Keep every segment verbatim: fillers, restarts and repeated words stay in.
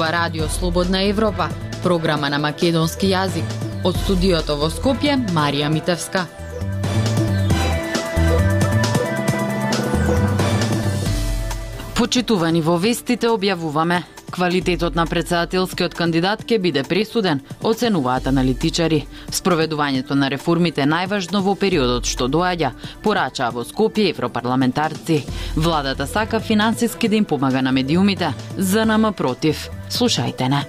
ова радио Слободна Европа, програма на македонски јазик. Од студиото во Скопје, Марија Митевска. Почитувани, во вестите објавуваме: квалитетот на претседателскиот кандидат ќе биде пресуден, оценуваат аналитичари. Спроведувањето на реформите е најважно во периодот што доаѓа, порачаа во Скопје европарламентарци. Владата сака финансиски да им помага на медиумите, ЗНМ против. Слушајте не.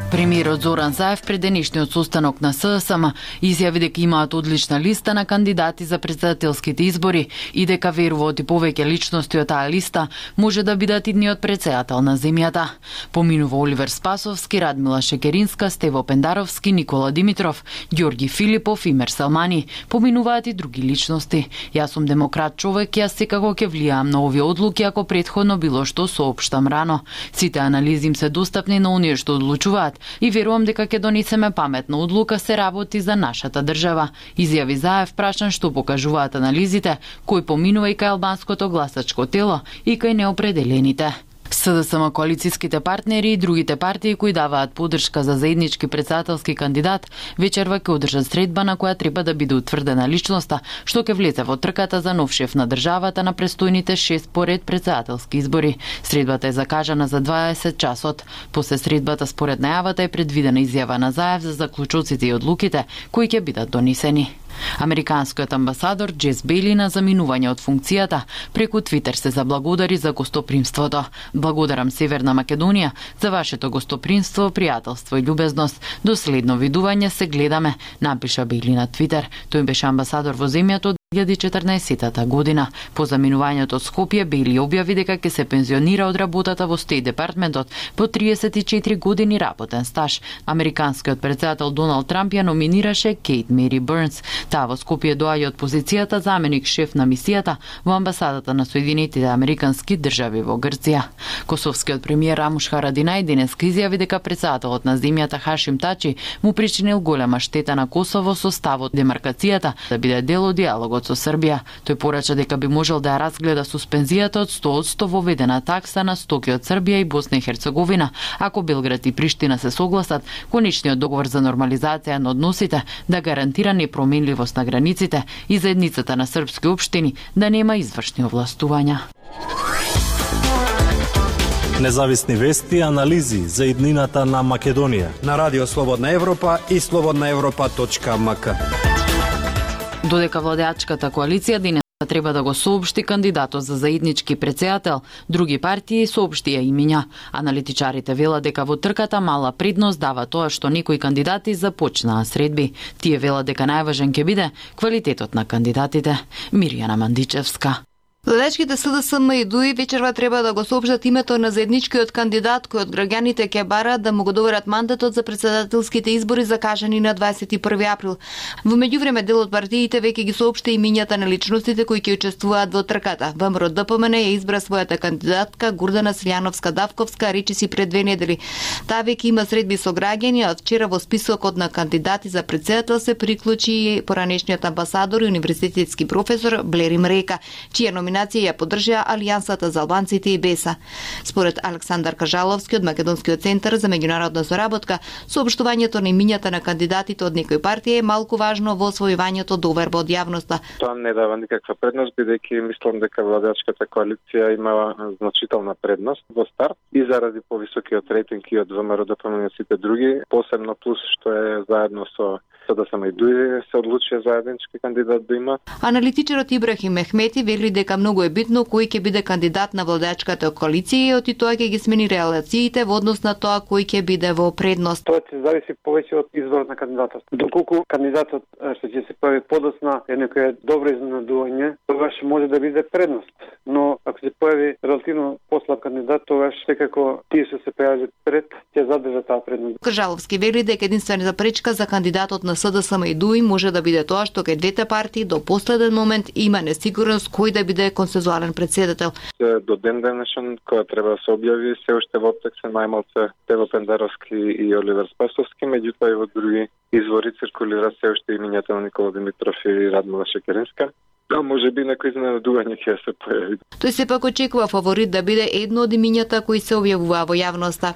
Премиерот Зоран Заев пред денешниот состанок на ССМ изјави дека имаат одлична листа на кандидати за претседателските избори и дека веруваат и повеќе личности од таа листа може да бидат идниот претседател на земјата. Поминува Оливер Спасовски, Радмила Шекеринска, Стево Пендаровски, Никола Димитров, Ѓорги Филипов и Мерселмани. Поминуваат и други личности. Јас сум демократ човек, јас секако ќе влијаам на овие одлуки ако претходно било што соопштам рано. Сите анализи им се достапни на оние што одлучуваат и верувам дека ќе донесеме паметна одлука, се работи за нашата држава, изјави Заев, прашан што покажуваат анализите, кој поминува и кај албанското гласачко тело и кај неопределените. СДСМ, коалицијските партнери и другите партии кои даваат поддршка за заеднички претседателски кандидат, вечерва ќе одржат средба на која треба да биде утврдена личноста што ќе влезе во трката за нов шеф на државата на престојните шест поред претседателски избори. Средбата е закажана за дваесет часот. После средбата, според најавата, е предвидена изјава на Заев за заклучоците и одлуките кои ќе бидат донесени. Американскиот амбасадор Джес Бейли на заминување од функцијата преку Твитер се заблагодари за гостопримството. Благодарам Северна Македонија за вашето гостопримство, пријателство и љубезност. До следно видување, се гледаме, напиша Бейли на Твитер. Тој беше амбасадор во земјата од две илјади и четрнаесетта година. По заминувањето од Скопје, Бейли објави дека ќе се пензионира од работата во Стејт департментот по триесет и четири години работен стаж. Американскиот претседател Доналд Трамп ја номинираше Кейт Мери Бернс. Таа во Скопје доаѓа од позицијата заменик шеф на мисијата во амбасадата на Соединетите Американски држави во Грција. Косовскиот премиер Рамуш Харадинај денеска изјави дека претседателот на земјата Хашим Тачи му причинил голема штета на Косово со ставот демаркацијата да биде дел од диалогот со Србија. Тој порача дека би можел да ја разгледа суспензијата од сто одсто воведена такса на стоки од Србија и Босна и Херцеговина, ако Белград и Приштина се согласат конечниот договор за нормализација на односите да гарантира непроменливост на границите и заедницата на српски општини да нема извршни овластувања. Независни вести и анализи за иднината на Македонија на Радио Слободна Европа и слободна европа точка ем ка. Додека владеачката коалиција денес треба да го соопшти кандидатот за заеднички претседател, други партии соопштија имиња. Аналитичарите велат дека во трката мала предност дава тоа што некои кандидати започнаа средби. Тие велат дека најважен ќе биде квалитетот на кандидатите. Мирјана Мандичевска. Владеачките СДСМ и ДУИ вечерва треба да го соопштат името на заедничкиот кандидат кој од граѓаните ќе бараат да му го доверат мандатот за претседателските избори закажани на дваесет и први април. Во меѓувреме дел од партиите веќе ги соопшти имињата на личностите кои ќе учествуваат во трката. ВМРО ДПМН ја избра својата кандидатка Гурдана Силјановска-Давковска, речи си пред две недели. Таа веќе има средби со граѓани, а од вчера во списокот на кандидати за претседател се приклучи и поранешниот амбасадор и универзитетски професор Блери Мрека, чија номинација ја поддржаа Алијансата за албанците и БЕСА. Според Александар Кажаловски од Македонскиот центар за меѓународна соработка, соопштувањето на имињата на кандидатите од некои партии е малку важно во освојувањето доверба од јавноста. Тоа не дава никаква предност, бидејќи мислам дека владеачката коалиција имала значителна предност во старт и заради повисокиот рейтинг и од ВМРО ДПМН и сите други, посебно плюс што е заедно со СДСМ и ДУИ се одлучија заеднички кандидат да има. Аналитичарот Ибрахим Мехмети вели дека многу е битно кој ќе биде кандидат на владеачката коалиција и од тоа ќе ги смени релациите во однос на тоа кој ќе биде во предност. Тоа ќе зависи повеќе од изборот на кандидатот. Доколку кандидатот што ќе се појави подоцна е некој добро изненадување, тогаш може да биде предност. Но ако се појави релативно послаб кандидат, тогаш секако тие што се појавиле пред ќе задржат таа предност. Кажаловски вели дека единствена пречка за кандидатот на СДСМ и ДУИ може да биде тоа што кај двете партии до последен момент има несигурност кој да биде консензуален претседател. До ден денешен која треба да се објави се уште во текст се најмалце Тево Пендаровски и Оливер Спасовски, меѓутоа и во други извори циркулира се уште имињата на Никола Димитров и Радмила Шекеринска. Да, може би некој изненадување ќе се појави. Тој сепак очекува фаворит да биде едно од имињата кои се објавува во јавноста.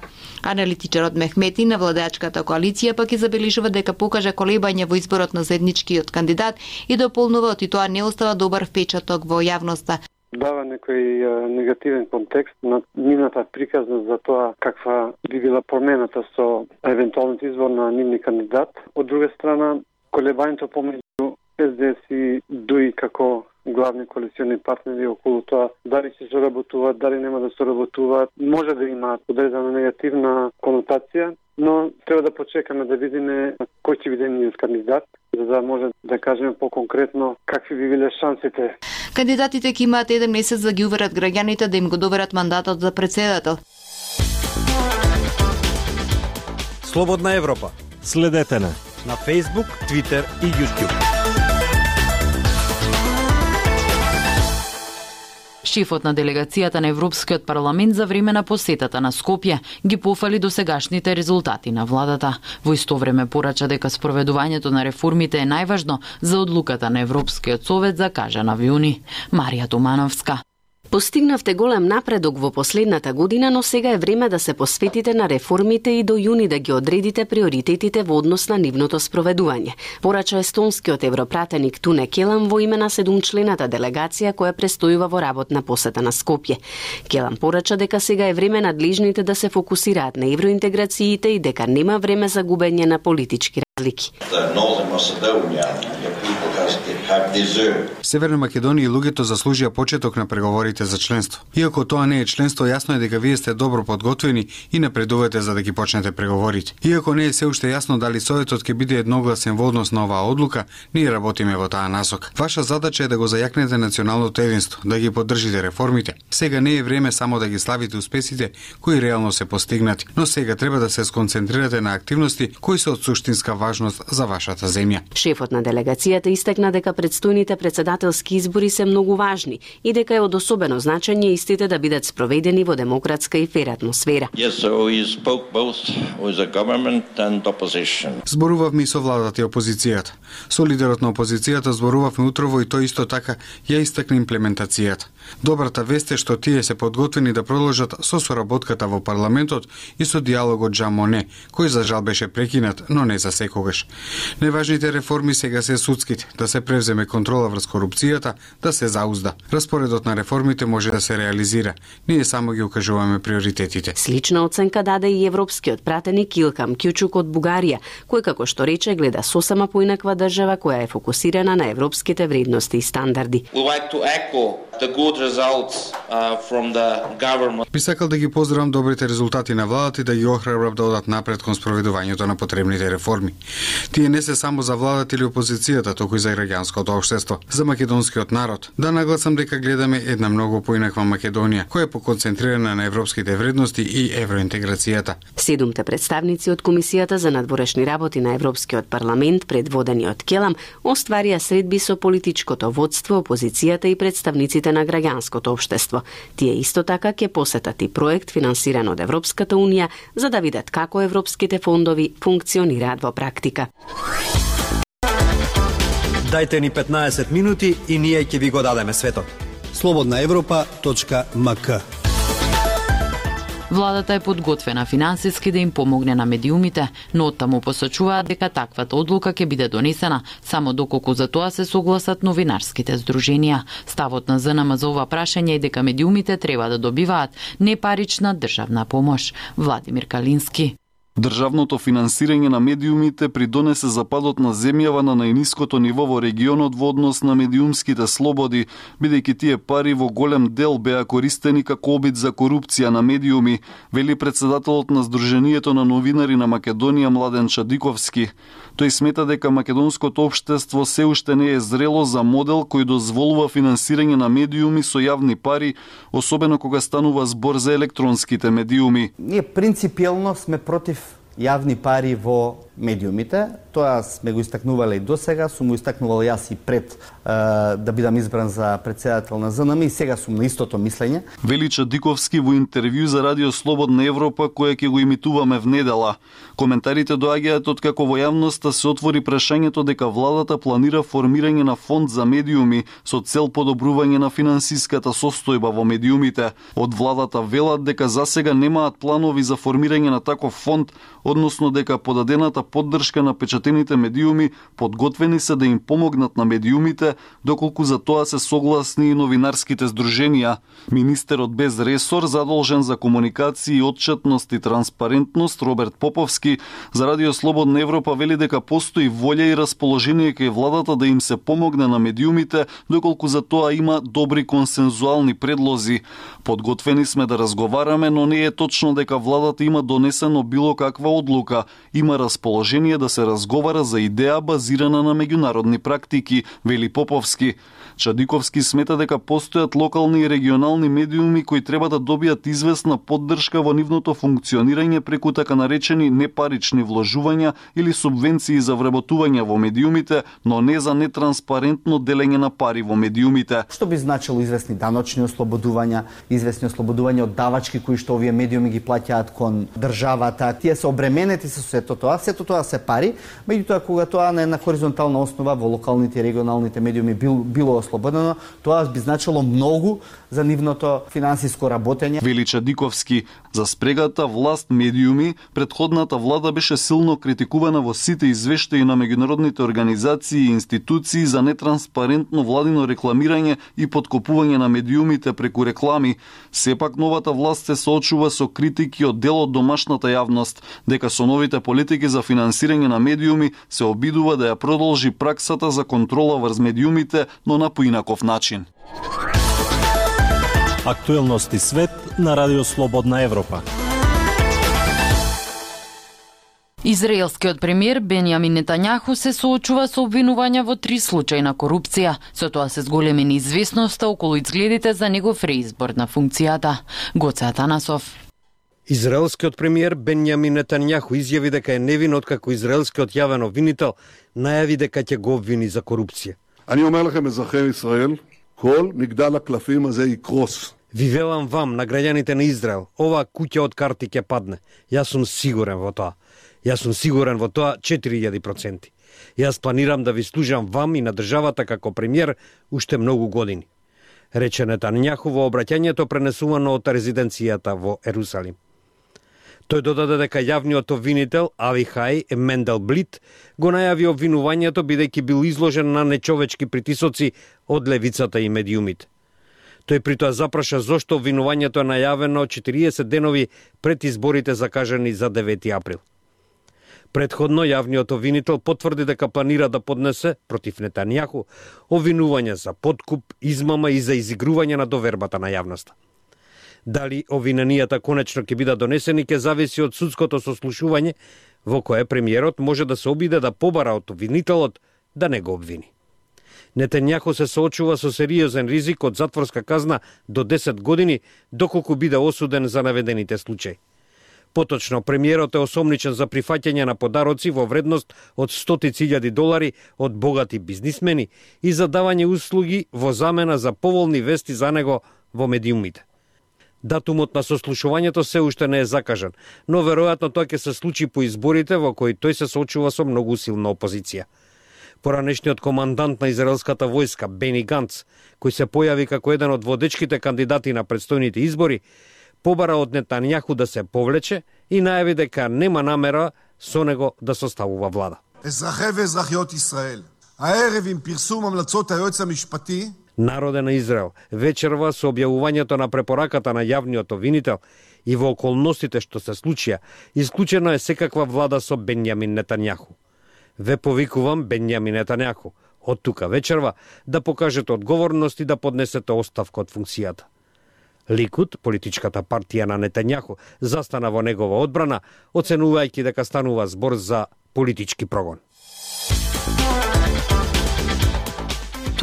Аналитичарот Мехмети на владеачката коалиција пак и забележува дека покажа колебање во изборот на заедничкиот кандидат и дополнува и тоа не остава добар впечаток во јавноста. Дава некој а, негативен контекст на нивната приказна за тоа каква би била промената со евентуалниот избор на нивни кандидат. Од друга страна, колебањето помеѓу Ес Де Ес и ДУИ како главни коалициони партнери околу тоа дали ќе соработуваат, дали нема да соработуваат, може да има одредена негативна конотација, но треба да почекаме да видиме кој ќе биде нивниот кандидат, за да може да кажеме поконкретно какви би биле шансите. Кандидатите ќе имаат еден месец да ги уверат граѓаните да им го доверат мандатот за претседател. Слободна Европа. Следете на На Facebook, Twitter и YouTube. Шефот на делегацијата на Европскиот парламент за време на посетата на Скопје ги пофали досегашните резултати на владата. Во исто време порача дека спроведувањето на реформите е најважно за одлуката на Европскиот совет за кажана во јуни. Марија Тумановска. Постигнавте голем напредок во последната година, но сега е време да се посветите на реформите и до јуни да ги одредите приоритетите во однос на нивното спроведување. Порача естонскиот европратеник Туне Келам во име на седумчлената делегација која престојува во работна посета на Скопје. Келам порача дека сега е време надлежните да се фокусираат на евроинтеграциите и дека нема време за губење на политички разлики. Северна Македонија и луѓето заслужија почеток на преговорите за членство. Иако тоа не е членство, јасно е дека вие сте добро подготвени и напредувате за да ги почнете преговорите. Иако не е се уште јасно дали Советот ќе биде едногласен во однос на оваа одлука, ние работиме во таа насока. Ваша задача е да го зајакнете националното единство, да ги поддржите реформите. Сега не е време само да ги славите успесите кои реално се постигнати, но сега треба да се сконцентрирате на активности кои се од суштинска важност за вашата земја. Шефот на делегацијата истакна дека предстојните председателски избори се многу важни и дека е од особено значење истите да бидат спроведени во демократска и фер атмосфера. Yes, so we spoke both with the government and opposition. Зборувавме и со владата и опозицијата. Со лидерот на опозицијата зборувавме утрово и тој исто така ја истакна имплементацијата. Добрата вест е што тие се подготвени да продолжат со соработката во парламентот и со диалогот Жан Моне, кој за жал беше прекинат, но не за секогаш. Најважните реформи сега се судските, да се превземе контрола врз корупцијата, да се заузда. Распоредот на реформите може да се реализира. Ние само ги укажуваме приоритетите. Слична оценка даде и европскиот пратеник Илкам Кјучук од Бугарија, кој како што рече гледа сосема поинаква држава која е фокусирана на европските вредности и стандарди. Би сакал да ги поздравам добрите резултати на владата и да ги охрабрам да одат напред кон спроведувањето на потребните реформи. Тие не се само за владата или опозицијата, туку и за граѓанското општество, за македонскиот народ. Да нагласам дека гледаме една многу поинаква Македонија, која е поконцентрирана на европските вредности и евроинтеграцијата. Седумте представници од Комисијата за надворешни работи на Европскиот парламент, предводени од Келам, остварија средби со политичкото водство, опозицијата и представниците на граѓанското општество. Тие исто така ќе посетат и проект финансиран од Европската унија за да видат како европските фондови функционираат во практика. Дајте ни петнаесет минути и ние ќе ви го дадеме светот. слободна европа точка ем ка. Владата е подготвена финансиски да им помогне на медиумите, но оттаму посочуваат дека таквата одлука ќе биде донесена само доколку за тоа се согласат новинарските здруженија. Ставот на Зен Ем за ова прашање е дека медиумите треба да добиваат непарична државна помош. Владимир Калински. Државното финансирање на медиумите придонесе за падот на земјава на најниското ниво во регионот во однос на медиумските слободи, бидејќи тие пари во голем дел беа користени како обид за корупција на медиуми, вели председателот на Сдруженијето на новинари на Македонија Младен Чадиковски. Тој смета дека македонското општество се уште не е зрело за модел кој дозволува финансирање на медиуми со јавни пари, особено кога станува збор за електронските медиуми. Ние принципиелно сме против јавни пари во медиумите. Тоа сме го истакнувале и досега, сум го истакнувал јас и пред е, да бидам избран за председател на ЗНМ и сега сум на истото мислење. Вели Чадиковски во интервју за Радио Слободна Европа која ќе го имитуваме в недела. Коментарите доаѓаат од како во јавноста се отвори прашањето дека владата планира формирање на фонд за медиуми со цел подобрување на финансиската состојба во медиумите. Од владата велат дека засега немаат планови за формирање на таков фонд, односно дека подадената поддршка на печатените медиуми подготвени се да им помогнат на медиумите, доколку за тоа се согласни и новинарските здруженија. Министерот без ресор задолжен за комуникација и отчетност и транспарентност Роберт Поповски за Радио Слободна Европа вели дека постои волја и расположение кај владата да им се помогне на медиумите, доколку за тоа има добри консензуални предлози. Подготвени сме да разговараме, но не е точно дека владата има донесено било каква одлука. Има расположение да се разговара за идеја базирана на меѓународни практики, вели Поповски. Чадиковски смета дека постојат локални и регионални медиуми кои треба да добијат известна поддршка во нивното функционирање преку така наречени непарични вложувања или субвенции за вработување во медиумите, но не за нетранспарентно делење на пари во медиумите. Што би значило известни даночни ослободувања, известни ослободувања од давачки кои што овие медиуми ги плаќаат кон државата. Тие се обременети со сето тоа, сето тоа се пари, меѓутоа кога тоа на една хоризонтална основа во локалните и регионалните медиуми бил, било ослободено, тоа би значило многу за нивното финансиско работење. Вели Чадиковски, за спрегата власт медиуми, предходната влада беше силно критикувана во сите извештаи на меѓународните организации и институции за нетранспарентно владино рекламирање и подкопување на медиумите преку реклами. Сепак новата власт се соочува со критики од дел од домашната јавност, дека со новите политики за финансирање на медиуми се обидува да ја продолжи праксата за контрола врз медиумите, но на поинаков начин. Актуелности свет на Радио Слободна Европа. Израелскиот премиер Бенјамин Нетањаху се соочува со обвинувања во три случаи на корупција. Со тоа се зголеми неизвестноста околу изгледите за негов реизбор на функцијата. Гоце Атанасов. Израелскиот премиер Бенјамин Нетањаху изјави дека е невин откако израелскиот јавен обвинител најави дека ќе го обвини за корупција. אני אומר לכם, אזרחי ישראל, כל מגדל הקלפים הזה יקרוס. Ви велам вам, на граѓаните на Израел, оваа куќа од карти ќе падне. Јас сум сигурен во тоа. Јас сум сигурен во тоа четири илјади проценти. Јас планирам да ви служам вам и на државата како премиер уште многу години. Рече Нетањаху во обраќањето пренесувано од резиденцијата во Ерусалим. Тој додаде дека јавниот обвинител Авихај Менделблит го најави обвинувањето бидејќи бил изложен на нечовечки притисоци од левицата и медиумите. Тој притоа запраша зошто обвинувањето е најавено четириесет денови пред изборите закажани за девети април. Предходно јавниот обвинител потврди дека планира да поднесе против Нетањаху обвинување за подкуп, измама и за изигрување на довербата на јавноста. Дали обвиненијата конечно ќе бидат донесени ќе зависи од судското сослушување во кое премиерот може да се обиде да побара од обвинителот да не го обвини. Нетањаху се соочува со сериозен ризик од затворска казна до десет години доколку биде осуден за наведените случаи. Поточно, премиерот е осомничен за прифаќање на подароци во вредност од стотици илјади долари од богати бизнисмени и за давање услуги во замена за поволни вести за него во медиумите. Датумот на сослушувањето се уште не е закажан, но веројатно тоа ќе се случи по изборите во кои тој се соочува со многу силна опозиција. Поранешниот командант на израелската војска Бени Ганц, кој се појави како еден од водечките кандидати на предстојните избори, побара од Нетањаху да се повлече и најави дека нема намера со него да составува влада. אזרחי ואזרחיות ישראל, הערב עם פרסום המלצות היועץ המשפטי Народе на Израел, вечерва со објавувањето на препораката на јавниот обвинител и во околностите што се случија, исклучено е секаква влада со Бенјамин Нетањаху. Ве повикувам Бенјамин Нетањаху, од тука вечерва да покажете одговорност и да поднесете оставка од функцијата. Ликуд, политичката партија на Нетањаху, застана во негова одбрана, оценувајќи дека станува збор за политички прогон.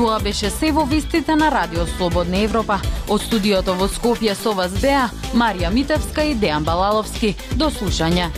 Тоа беше се во вестите на Радио Слободна Европа. Од студиото во Скопје со вас беа Марија Митевска и Дејан Балаловски. До слушање.